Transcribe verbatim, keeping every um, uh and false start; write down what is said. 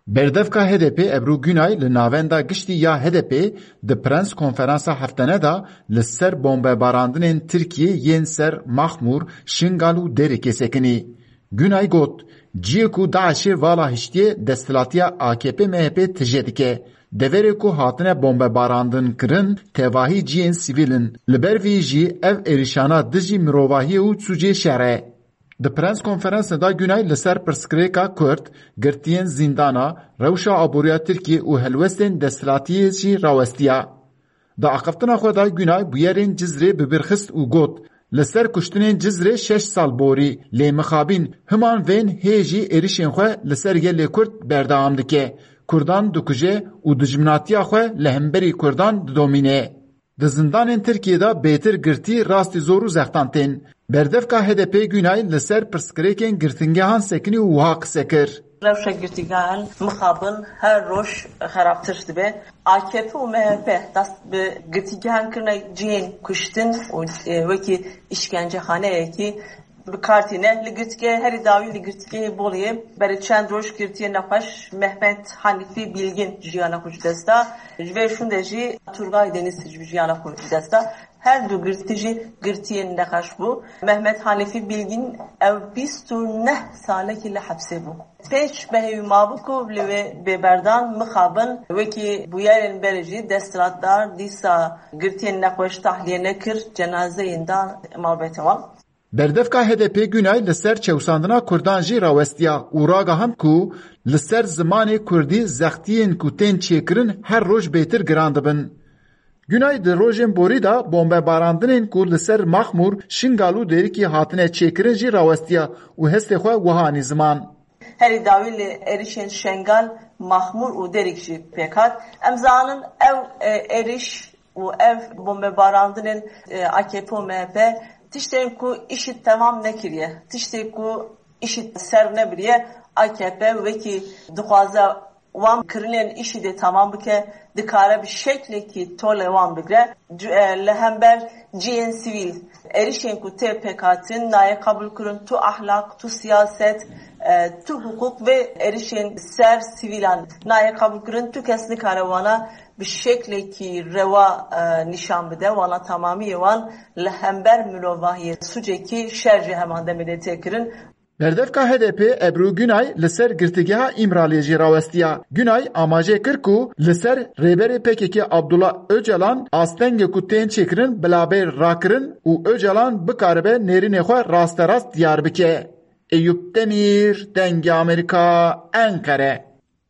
Berdevka H D P Ebru Günay li navenda giştî ya H D P di prens konferansa heftene de li ser bombebarandinên Tirkiyê yên ser Maxmûr, Şingal û Dêrikê sekinî. Günay got, ciyê ku DAIŞê vala hiştiye desthilatiya A K P M H P tije dike. Deverê ku hatine bombebarandin kirin, tevahî ciyên sivîl in. Li ber vî jî ev êrişana dijî mirovahiyê û sûcê şer e. Di prens konferansê de Günay li ser pirsgirêka Kurd, girtiyên zîndana, rewşa aboriya Tirkiyê û helwestên desthilatiyê jî rawestiya. Di axiftina xwe de Günay bûyerên Cizrê bi bîr xist û got, li ser kuştinên Cizrê şeş sal borî, lê mixabin himan vên hê jî êrişên xwe li ser gelê Kurd berdewam dike. Kurdan dikuje û dijminatiya xwe li hemberî Kurdan didomîne. Di zindanên Tirkiyê de bêtir girtî rastî zor û zextan tên. Berdevka H D P Günay li ser pirsgirêkên girtingehan sekinî û wiha qise kir. Rewşa girtîgehan mixabin her roj xerabtir dibe. A K P û M H P dest bi girtîgehan kirine cihên kuştin û, e, wekî îşkencexaneyekî bi kar tîne. Li girtîgeha herî dawî li girtîgehê Boliyê berê çend roj girtiyê nexweş Mehmet Hanîfî Bilgin jiyana xwe ji dest da. Ji vê şûnde jî Turgay Deniz jiyana xwe ji dest da. Her du girtî jî girtiyên nexweş bû. Mehmet Hanîfî Bilgin ew bîst û neh salekî li hepsê bû. Pêç mehê wî mabû ku li wê bê berdan mixabin, wekî bûyerên berê jî desthilatdar dîsa girtiyên nexweş tahliye nekir, cenazeyên da malbete wan. Berdevka H D P Günay li ser çewsandina Kurdan jî rawestiya û ragihand ku li ser zimanê Kurdî zextiyên ku tên çêkirin her roj bêtir giran dibin. Günay di rojên borî de bombebarandinên ku li ser Maxmûr, Şingal û Dêrikî hatine çêkirin jî rawestiya û hestê xwe wiha anî ziman. Herî dawî li êrişên Şengal, Maxmûr û Dêrik jî pêk hat. Em zanin ew, e, êriş û ev bombebarandinên, e, A K P û M H P tiştên ku îşî temam nekiriye, tiştê ku îşî ser nebiriye, A K P wekî dixwaze wan kirinên îşî dê temam bike, dikare bi şeklekî tolê wan bigre. Cu-, e, li hember cihên sivîl êrişên ku tê pêkhatin nayê qebûlkirin, tu ahlak, tu siyaset, e, tu hiqûq vê êrişên ser sivîlan nayê qebûlkirin, tu kes nikare wana bi şeklekî rewa, e, nîşan bide, wana tamamiyê wan li hember mirovahiyê sûcekî şer ji heman demê de tê kirin. Berdevka H D P Ebru Günay li ser girtîgeha Îmraliyê jî rawestiya. Günay amaje kir ku li ser rêberê P K K Abdullah Ocalan astengê ku tên çêkirin bila bê rakirin û Ocalan bikaribe nêrînê xwe rasterast diyar bike. Eyûp Demîr, Dengê Amerîka, Enqere.